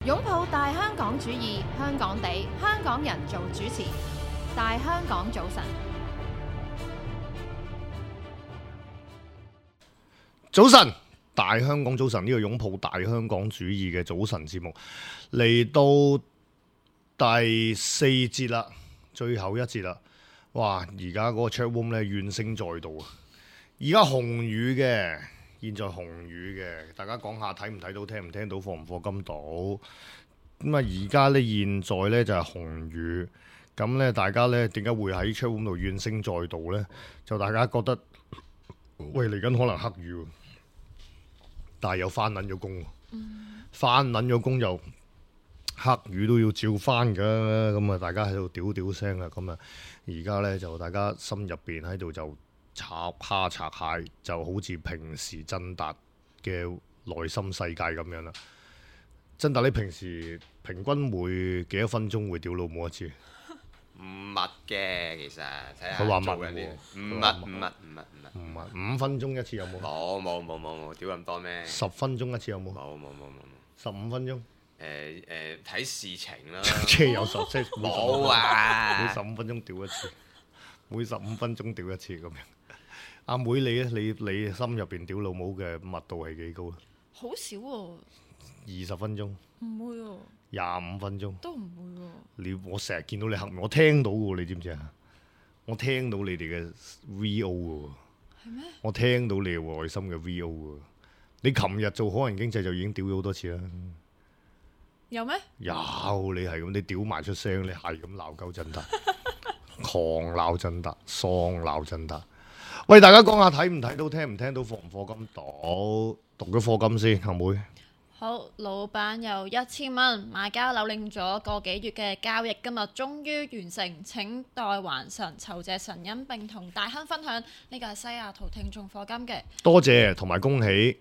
擁抱大香港主義，香港地，香港人做主持。大香港早晨，早晨，大香港早晨，呢個擁抱大香港主義嘅早晨節目嚟到第4節啦，最後一節啦。哇！而家嗰個 chat room 咧怨聲載道啊！而家紅雨嘅，現在紅雨嘅，大家講下睇唔睇到，聽唔聽到，課唔課金到？咁啊，而家咧現在咧就係紅雨，咁咧大家咧點解會喺 chat room 度怨聲載道咧？就大家覺得喂嚟緊可能黑雨喎，但係又翻撚咗工，翻撚咗工又黑雨都要照翻㗎，咁啊大家喺度屌屌聲啊，咁啊而家咧就大家心入邊喺度就插蝦拆蟹，就好似平時真達嘅內心世界咁樣啦。真達，你平時平均每幾多分鐘會屌老母一次？唔密嘅，其實睇下佢話密做緊啲唔密，唔係5分鐘一次有冇？冇，屌咁多咩10分鐘一次有冇？冇15分鐘？睇事情啦，即係有10即係冇啊每15分鐘屌一次，每15分鐘屌一次咁樣。阿妹你咧，你心入邊屌老母嘅密度係幾高啊？好少喎， 20分鐘、唔會喎， 25分鐘，都唔會喎。我成日見到你黑面，我聽到嘅喎，你知唔知啊？我聽到你哋嘅 VO 嘅喎，係咩？我聽到你嘅內心嘅 VO 嘅喎。你琴日做可能經濟就已經屌咗好多次啦。有咩？有你係咁，你屌埋出聲，你係咁鬧鳩真達，狂鬧真達，喪鬧真達。喂，大家講下睇唔睇到，聽唔聽到，課唔課金到？讀咗課金先，阿妹。好，老闆有1000蚊買家扭領咗個幾月嘅交易，今日終於完成，請代還神，酬謝神恩並同大亨分享。呢個係西雅圖聽眾課金嘅。多謝同埋恭喜，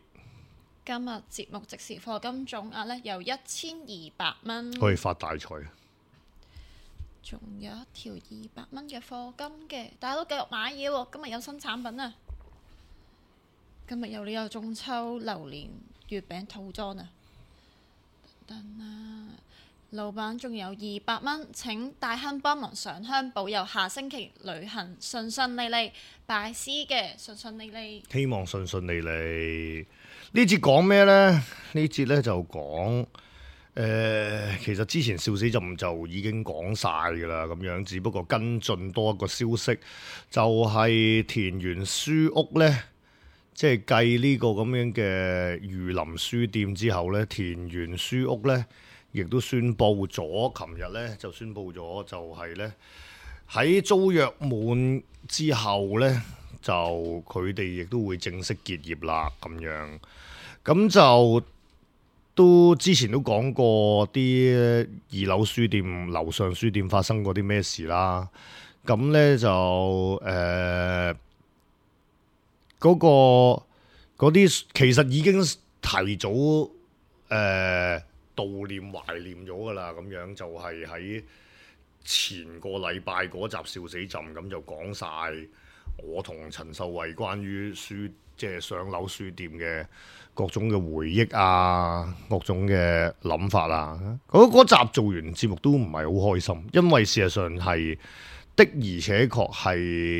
今日節目即時課金總額呢有1200蚊，可以發大財。仲有一條200蚊嘅課金嘅，大家都繼續買嘢喎。今日有新產品啊！今日有呢個中秋榴蓮月餅套裝啊！等等啊，老闆仲有200蚊，請大亨幫忙上香保佑下星期旅行順順利利，拜師嘅順順利利。希望順順利利。呢節講咩呢？呢節呢就講其實之前笑死朕就已經講晒㗎啦，咁樣只不過跟進多一個消息，就係田園書屋呢，即係繼呢個咁樣嘅御林書店之後呢，田園書屋呢亦都宣布咗，琴日呢就宣布咗，就係呢喺租約滿之後呢，就佢哋亦都會正式結業啦，咁樣咁就。都之前都講過啲2樓書店、樓上書店發生過啲咩事啦。咁呢就嗰啲其實已經提早悼念懷念咗噶啦。咁樣就係喺前個禮拜嗰集笑死朕咁就講晒我同陳秀慧關於即係上樓書店嘅各種嘅回憶啊，各種嘅諗法啊，嗰集做完節目都唔係好開心，因為事實上係的而且確係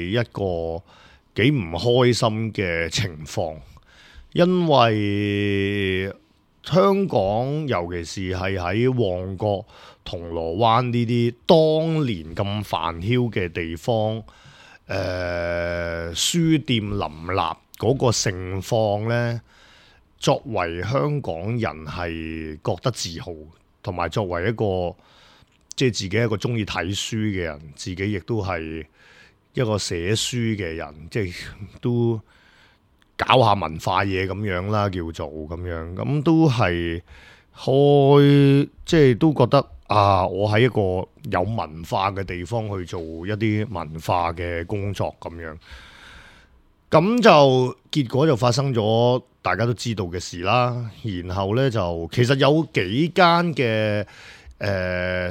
一個幾唔開心嘅情況，因為香港尤其是係喺旺角、銅鑼灣呢啲當年咁繁囂嘅地方，書店林立嗰個盛況呢，作為香港人係覺得自豪，同埋作為一個即係自己一個中意睇書嘅人，自己亦都係一個寫書嘅人，即係都搞下文化嘢咁樣啦，叫做咁樣，咁都係即係都覺得啊，我喺一個有文化嘅地方去做一啲文化嘅工作咁樣。咁就結果就發生咗大家都知道嘅事啦。然後呢，就其實有幾間嘅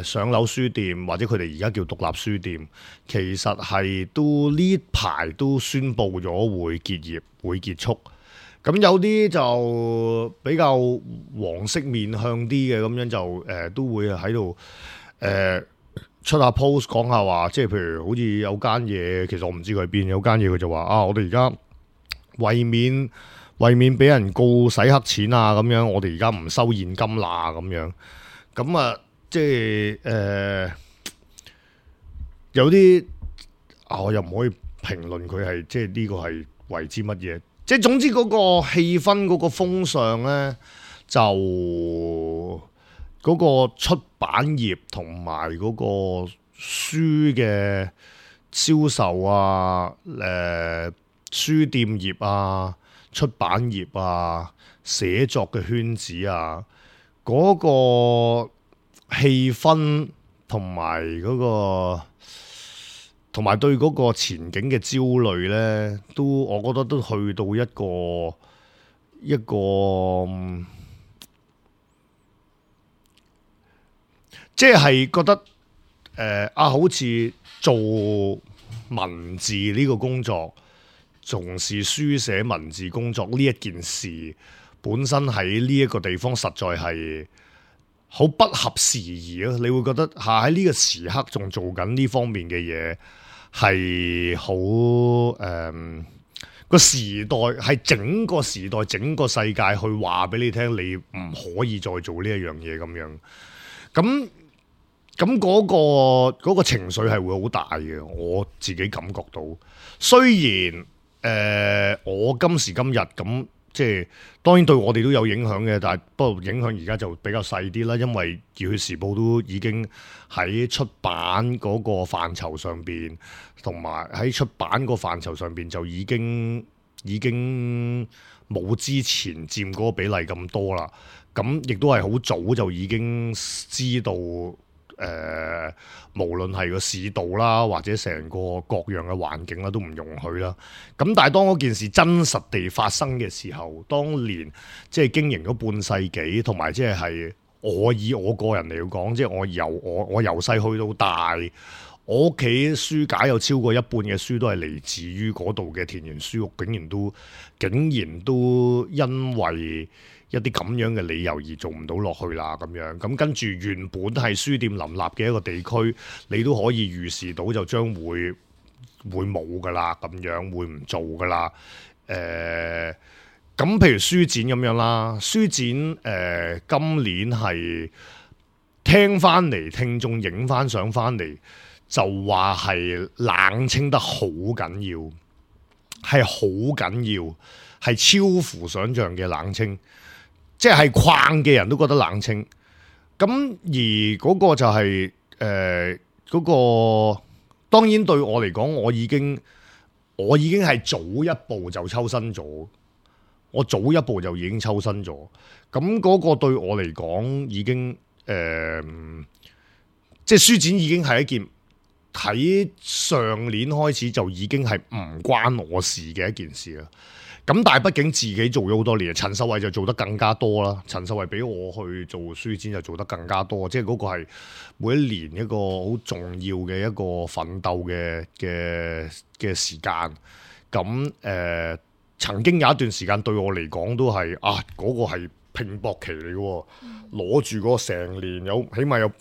上樓書店或者佢哋而家叫獨立書店，其實係都呢排都宣布咗會結業會結束。咁有啲就比較黃色面向啲嘅，咁樣就都會喺度出下 post 講下話，即係譬如好似有間嘢，其實我唔知佢喺邊，有間嘢佢就話啊，我哋而家為免俾人告洗黑錢啊咁樣，我哋而家唔收現金啦咁樣。咁啊，即係有啲我又唔可以評論佢係即係呢個係為之乜嘢。即係總之嗰個氣氛嗰個風尚咧，就嗰個出版業同埋嗰個書嘅銷售啊，書店業啊、出版業啊、寫作嘅圈子啊，嗰個氣氛同埋嗰個。同埋對嗰個前景嘅焦慮呢，我覺得都去到一個，即係覺得好似做文字呢個工作，從事書寫文字工作呢一件事，本身喺呢一個地方實在係好不合時宜咯。你會覺得喺呢個時刻仲做緊呢方面嘅嘢。係好個時代係整個時代整個世界去話俾你聽，你唔可以再做呢一樣嘢咁樣。咁嗰個情緒係會好大嘅，我自己感覺到。雖然我今時今日咁。即係當然對我哋都有影響嘅，但係不過影響而家就比較細啲啦，因為《熱血時報》都已經喺出版嗰個範疇上邊，同埋喺出版個範疇上邊就已經冇之前佔嗰個比例咁多啦。咁亦都係好早就已經知道。無論係個市道啦，或者成個各樣嘅環境啦，都唔容許啦。咁但係當嗰件事真實地發生嘅時候，當年即係經營咗半世紀，同埋即係以我個人嚟講，即係我由細去到大，我屋企書架有超過一半嘅書都係嚟自於嗰度嘅田園書屋，竟然都因為一啲咁樣嘅理由而做唔到落去啦，咁樣咁跟住原本係書店林立嘅一個地區，你都可以預示到就將會冇噶啦，咁樣會唔做噶啦。咁譬如書展咁樣啦，書展今年係聽翻嚟聽眾影翻相翻嚟，就話係冷清得好緊要，係好緊要，係超乎想像嘅冷清。即係框嘅人都覺得冷清，咁而嗰個就係嗰個，當然對我嚟講，我已經係早一步就抽身咗，我早一步就已經抽身咗，咁嗰個對我嚟講已經即係書展已經係一件喺上年開始就已經係唔關我事嘅一件事啦。咁但係畢竟自己做咗好多年，陳秀慧就做得更加多啦。陳秀慧比我去做書展就做得更加多，即係嗰個係每一年一個好重要嘅一個奮鬥嘅時間。咁曾經有一段時間對我嚟講都係嗰個係拼搏期嚟嘅，攞住嗰個成年起碼有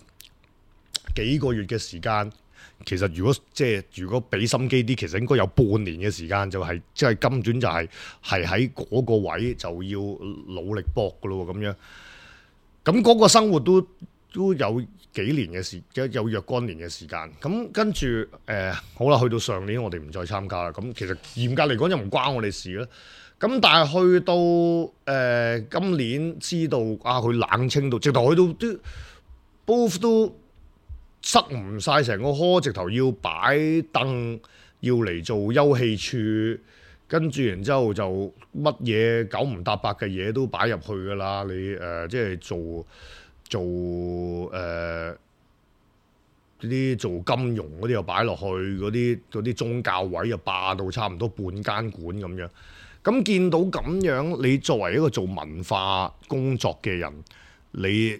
幾個月嘅時間。其實如果俾心機啲，其實應該有半年嘅時間，就係即係根本就係喺嗰個位就要努力搏噶咯咁樣。咁嗰個生活都有幾年嘅時間，有若干年嘅時間。咁跟住好啦，去到上年我哋唔再參加啦。咁其實嚴格嚟講就唔關我哋事啦。咁但係去到今年知道佢冷清到，直頭去到都 both 都。塞唔晒成個科，直頭要擺凳，要嚟做休憩處，跟住然之後就乜嘢九唔搭八嘅嘢都擺入去㗎啦。你即係做啲做金融嗰啲又擺落去，嗰啲宗教位又霸到差唔多半間館咁樣。咁見到咁樣，你作為一個做文化工作嘅人，你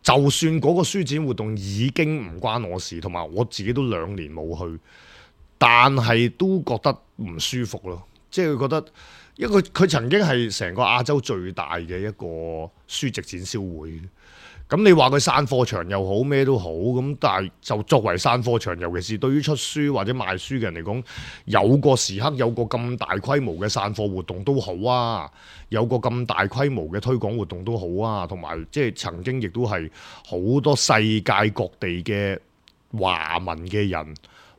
就算嗰個書展活動已經唔關我事，同埋我自己都2年冇去，但係都覺得唔舒服咯。即係覺得因為佢曾經係成個亞洲最大嘅一個書籍展銷會。咁你話佢散貨場又好咩都好，咁但係就作為散貨場，尤其是對於出書或者賣書嘅人嚟講，有個時刻有個咁大規模嘅散貨活動都好啊，有個咁大規模嘅推廣活動都好啊，同埋即係曾經亦都係好多世界各地嘅華文嘅人、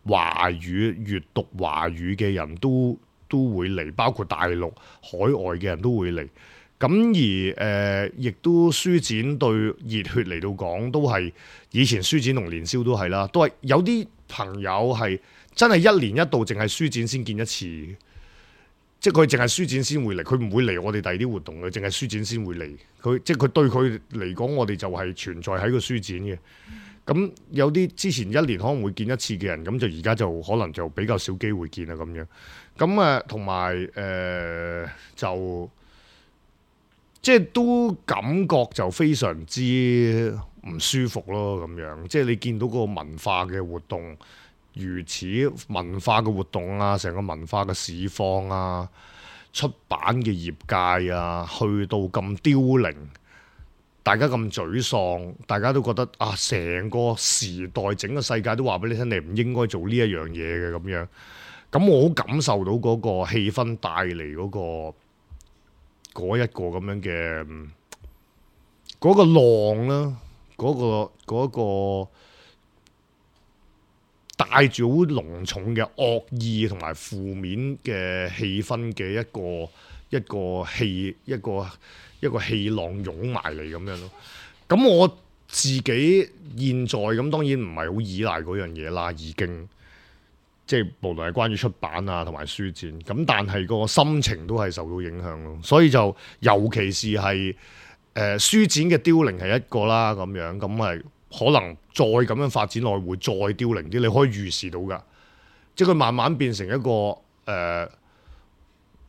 華語閱讀華語嘅人都會嚟，包括大陸、海外嘅人都會嚟。咁而亦都書展對熱血嚟到講，都係以前書展同年宵都係啦，都係有啲朋友係真係一年一度，淨係書展先見一次，即係佢淨係書展先會嚟，佢唔會嚟我哋第二啲活動嘅，淨係書展先會嚟。佢即係佢對佢嚟講，我哋就係存在喺個書展嘅。咁有啲之前一年可能會見一次嘅人，咁就而家就可能就比較少機會見啦咁樣。咁同埋就。即係都感覺就非常之唔舒服咯，咁樣即係你見到個文化嘅活動，如此文化嘅活動啊，成個文化嘅市況啊，出版嘅業界啊，去到咁凋零，大家咁沮喪，大家都覺得啊，成個時代整個世界都話俾你聽，你唔應該做呢一樣嘢嘅咁樣。咁我好感受到嗰個氣氛帶嚟嗰一個咁樣嘅嗰個浪啦，嗰個帶住好濃重嘅惡意同埋負面嘅氣氛嘅一個氣浪湧埋嚟咁樣咯。咁我自己現在咁當然唔係好依賴嗰樣嘢啦，已經。即係無論係關於出版啊同埋書展，咁但係個心情都係受到影響咯。所以就尤其是係書展嘅凋零係一個啦，咁樣咁係可能再咁樣發展落去會再凋零啲，你可以預示到㗎。即係佢慢慢變成一個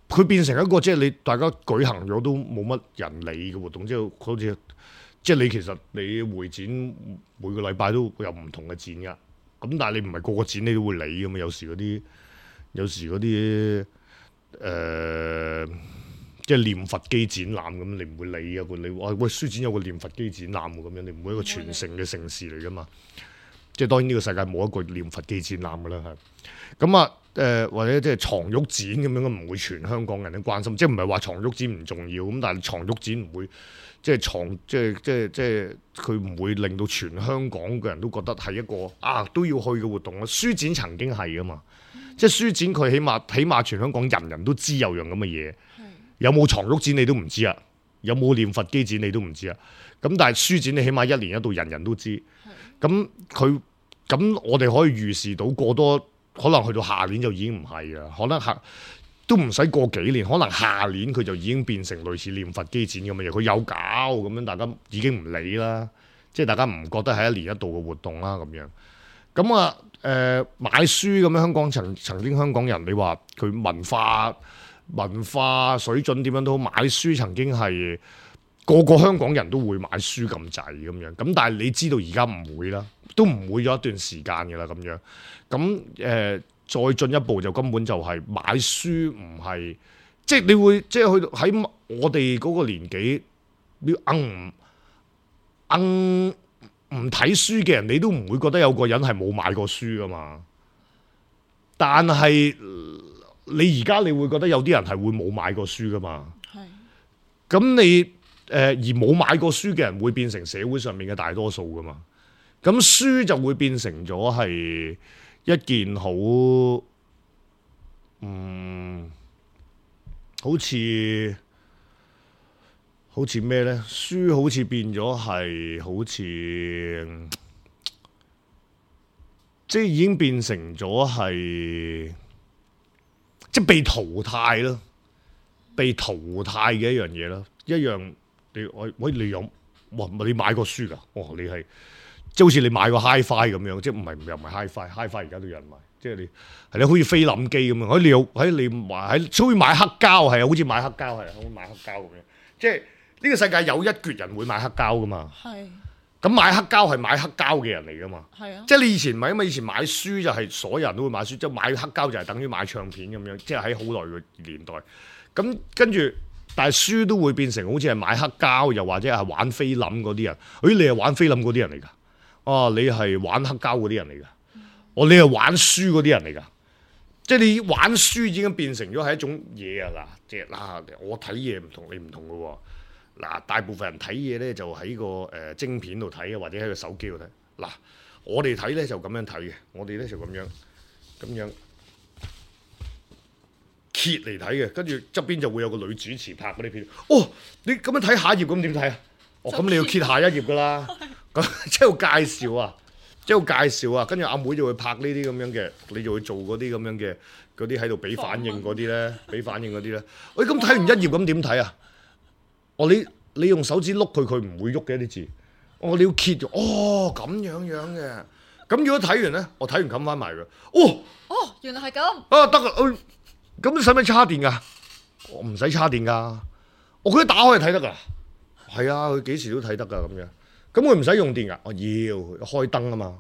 佢變成一個即係你大家舉行咗都冇乜人理嘅活動，即係好似即係你其實你會展每個禮拜都有唔同嘅展㗎。咁但係你唔係個個展你都會理㗎嘛？有時嗰啲即係念佛機展覽咁，你唔會理啊！你話喂書展有個念佛機展覽喎，咁樣你唔會一個全城嘅盛事嚟㗎嘛？即係當然呢個世界冇一個念佛機展覽㗎啦，係咁啊或者即係床褥展咁樣，唔會全香港人都關心，即係唔係話床褥展唔重要咁，但係床褥展唔會。即係佢唔會令到全香港嘅人都覺得係一個都要去嘅活動咯。書展曾經係㗎嘛，即係書展佢起碼全香港人人都知有樣咁嘅嘢。有冇床褥展你都唔知啊，有冇念佛機展你都唔知啊。咁但係書展你起碼一年一度人人都知。咁我哋可以預示到過多可能去到下年就已經唔係啊，可能都唔使過幾年，可能下年佢就已經變成類似念佛機展咁嘅嘢，佢有搞咁樣，大家已經唔理啦，即係大家唔覺得係一年一度嘅活動啦咁樣。咁買書咁樣，香港曾經香港人，你話佢文化水準點樣都好，買書曾經係個個香港人都會買書咁滯咁樣。咁但係你知道而家唔會啦，都唔會咗一段時間嘅啦咁樣。咁再進一步就根本就係買書唔係，即係你會即係去到喺我哋嗰個年紀，你唔睇書嘅人，你都唔會覺得有個人係冇買過書噶嘛。但係你而家你會覺得有啲人係會冇買過書噶嘛。係。咁你而冇買過書嘅人會變成社會上面嘅大多數噶嘛。咁書就會變成咗係一件好似咩呢？書好似變咗係好似即係已經變成咗係即係被淘汰咯，被淘汰嘅一樣嘢啦，一樣你有你買過書㗎？你係。即係好似你買個 Hi-Fi 咁樣，即係又唔係 Hi-Fi 而家都有人買，即係你好似菲林機咁樣，好似買黑膠係啊，好似買黑膠係啊，好似買黑膠咁樣。即係呢個世界有一橛人會買黑膠噶嘛。係。咁買黑膠係買黑膠嘅人嚟噶嘛。係啊。即係你以前唔係，因為以前買書就係所有人都會買書，即係買黑膠就係等於買唱片咁樣，即係喺好耐嘅年代。咁跟住，但係輸都會變成好似係買黑膠，又或者係玩菲林嗰啲人。你係玩菲林嗰啲人嚟㗎？你係玩黑膠嗰啲人嚟㗎？你係玩書嗰啲人嚟㗎？即係你玩書已經變成咗係一種嘢啊！嗱，即係嗱，我睇嘢唔同你唔同嘅喎。嗱，大部分人睇嘢咧就喺個晶片度睇啊，或者喺個手機度睇。嗱，我哋睇咧就咁樣睇嘅，我哋咧就咁樣揭嚟睇嘅，跟住側邊就會有個女主持拍嗰啲片。你咁樣睇下一頁咁點睇啊？咁你要揭下一頁㗎啦。咁即係介紹啊！跟住阿妹就會拍呢啲咁樣嘅，你就會做嗰啲咁樣嘅嗰啲喺度俾反應嗰啲咧，咁睇完一頁咁點睇啊？你用手指碌佢唔會喐嘅啲字。你要揭咗，咁樣嘅。咁如果睇完咧，我睇完冚翻埋佢。原來係咁。得啦，咁使唔使叉電㗎？我唔使叉電㗎，我佢一打開就睇得㗎。係啊，佢幾時都睇得㗎咁樣。咁佢唔使用電㗎，我要開燈啊嘛。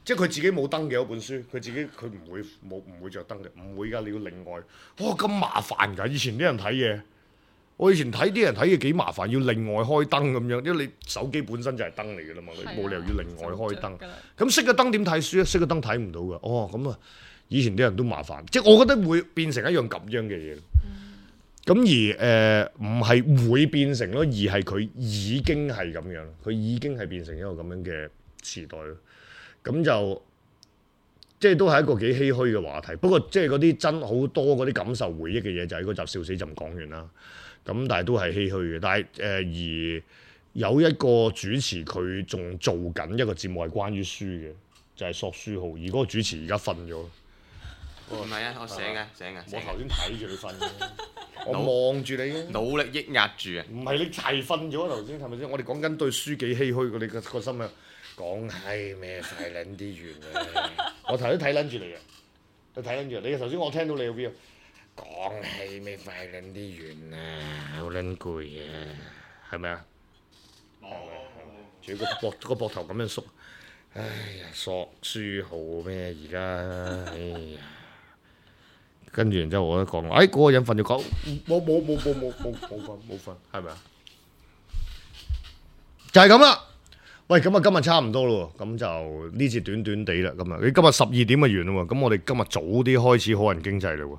即係佢自己冇燈嘅嗰本書，佢唔會着燈嘅，唔會㗎。你要另外，咁麻煩㗎。以前啲人睇嘢，我以前睇啲人睇嘢幾麻煩，要另外開燈咁樣，因為你手機本身就係燈嚟㗎啦嘛，你冇理由要另外開燈。咁熄個燈點睇書啊？熄個燈睇唔到㗎。咁啊，以前啲人都麻煩，即係我覺得會變成一樣咁樣嘅嘢。咁而唔係會變成咯，而係佢已經係咁樣，佢已經係變成一個咁樣嘅時代咯。咁就即係都係一個幾唏噓嘅話題。不過即係嗰啲真好多嗰啲感受回憶嘅嘢，就喺嗰集笑死就唔講完啦。咁但係都係唏噓嘅。但係而有一個主持佢仲做緊一個節目係關於書嘅，就係索書號。而嗰個主持而家瞓咗。唔係啊，我醒嘅。我頭先睇住你瞓嘅。我望住你嘅，努力抑壓住啊！唔係你係瞓咗頭先，係咪先？我哋講緊對書幾唏噓，你個心啊講係咩快撚啲完嘅。我頭先睇撚住你嘅，你睇撚住你頭先，我聽到你嘅 view 講係咩快撚啲完啊，好撚攰啊，係咪啊？仲要個膊頭咁樣縮，哎呀，索書號咩而家？哎呀！跟住然之後我都講，嗰個人瞓咗覺，冇瞓，係咪啊？就係咁啦。喂，咁啊今日差唔多咯，咁就呢節短短地啦。咁啊，你今日12點就完啦喎，咁我哋今日早啲開始好人經濟啦喎。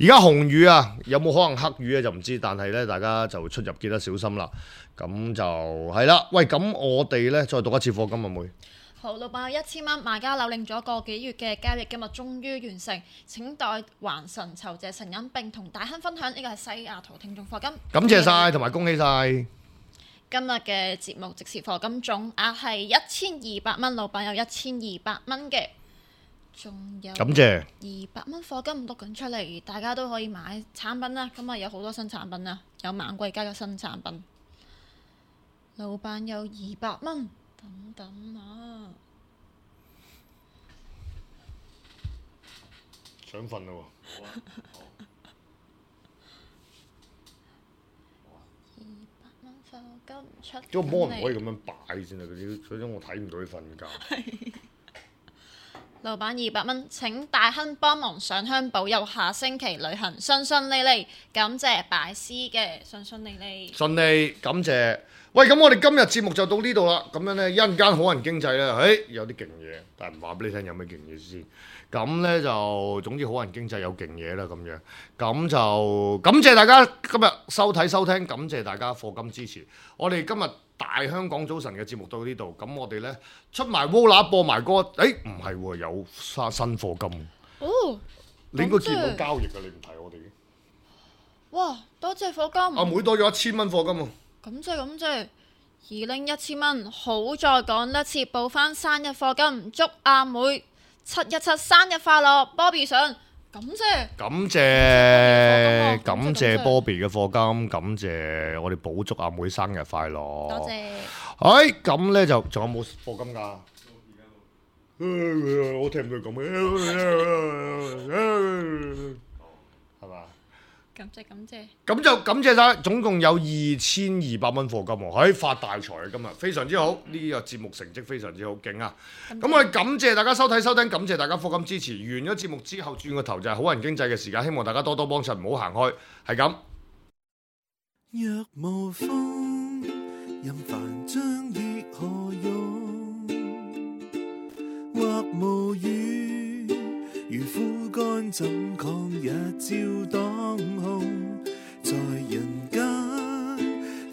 而家紅雨啊，有冇可能黑雨咧就唔知，但係咧大家就出入記得小心啦。咁就係啦。喂，咁我哋咧再讀一次課金啊妹。好，老闆有1000蚊，買家扭領咗個幾月嘅交易，今日終於完成，請代還神酬謝神恩並同大亨分享。呢個係西雅圖聽眾課金，感謝晒同埋恭喜晒。今日嘅節目即時課金總額係1200蚊，老闆有1200蚊嘅，仲有感謝200蚊課金讀緊出嚟，大家都可以買產品啦。今日有好多新產品啊，有猛貴家嘅新產品，老闆有200蚊。等等啊！想瞓啦喎！200蚊課金出，個波唔可以咁樣擺先啊！嗰啲我睇唔到佢瞓覺。老闆200蚊，請大亨幫忙上香保佑下星期旅行順順利利，感謝拜師嘅順順利利。順利，感謝。喂，咁我哋今日節目就到呢度啦。咁樣呢，一陣間好人經濟呢，有啲勁嘢，但係唔話俾你聽有咩勁嘢先。咁呢，就總之好人經濟有勁嘢啦咁樣。咁就感謝大家今日收睇收聽，感謝大家課金支持。我哋今日大香港早晨嘅節目到呢度。咁我哋呢，出埋 Vola 播埋歌。唔係喎，有新課金。你應該見到交易㗎，你唔睇我哋嘅。哇！多謝課金。阿妹多咗1000蚊課金喎。咁即係2拎1000蚊，好在講得切報翻生日課金，祝阿妹717生日快樂 ，Bobby 上，感謝Bobby 嘅課金，感謝我哋補祝阿妹生日快樂，多謝。咁咧就仲有冇課金㗎？我聽唔到佢講咩，係嘛？感謝感謝。咁就感謝晒，總共有2200蚊課金喎，發大財啊！今日非常之好，呢個節目成績非常之好，勁啊！咁我哋感謝大家收睇收聽，感謝大家課金支持。完咗節目之後，轉個頭就係好人經濟嘅時間，希望大家多多幫襯，唔好行開，係咁。若無風，任凡章亦何用？或無雨，如枯乾怎抗日照當空？在人間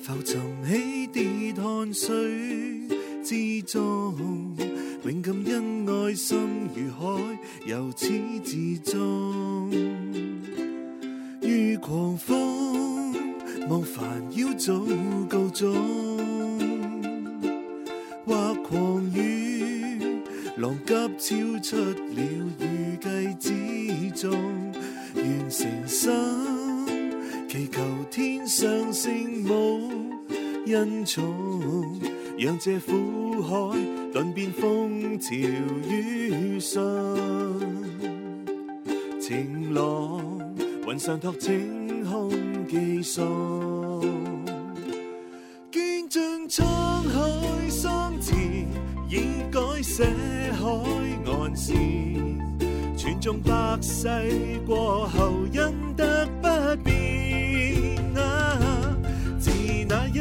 浮沉起跌汗水之中，永感恩愛心如海，由始至終。如狂風望煩擾早告終，或狂雨浪急超出了預計之中。願誠心祈求天上聖母恩寵，讓這苦海頓變風潮雨順。晴朗雲上托清空寄送，見盡滄海桑田，已改寫海岸線。傳頌百世過後，因得不變自那一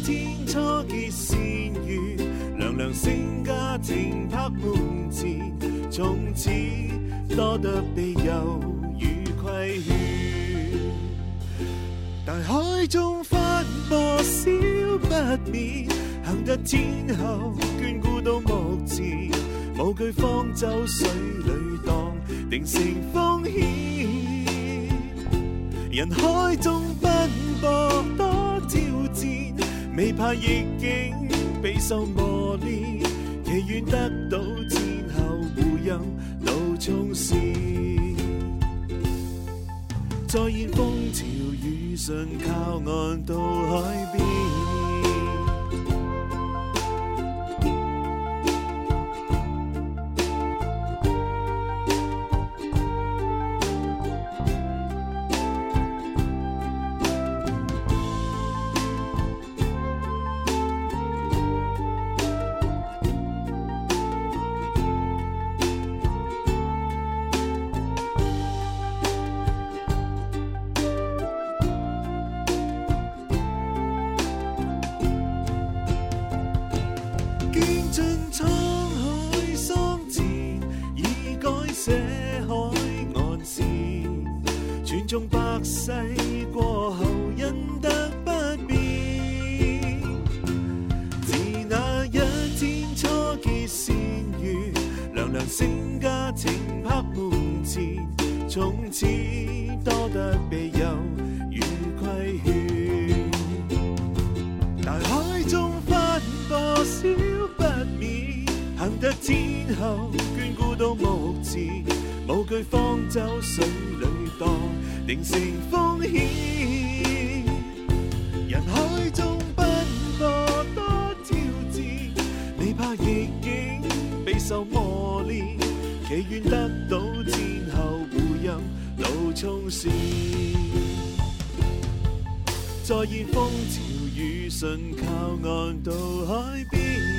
天初結善緣，娘娘勝家庭拍門前，從此多得庇佑與規勸。大海中翻波少不免，行得天后眷顧到目前，無懼方舟水裏蕩，定成風險。人海中奔波多挑戰，未怕逆境備受磨練，祈願得到天后護蔭路衝線。再現風潮雨順，靠岸到海邊。世過後因得不變，自那一天初結善緣，娘娘勝家庭拍門前，從此多得庇佑與規勸。大海中翻波少不免，行得天后眷顧到目前，無懼方舟水裏蕩，定成風險。人海中奔波多挑戰，未怕逆境備受磨練，祈願得到天后護蔭路衝線。再現風潮雨順，靠岸到海邊。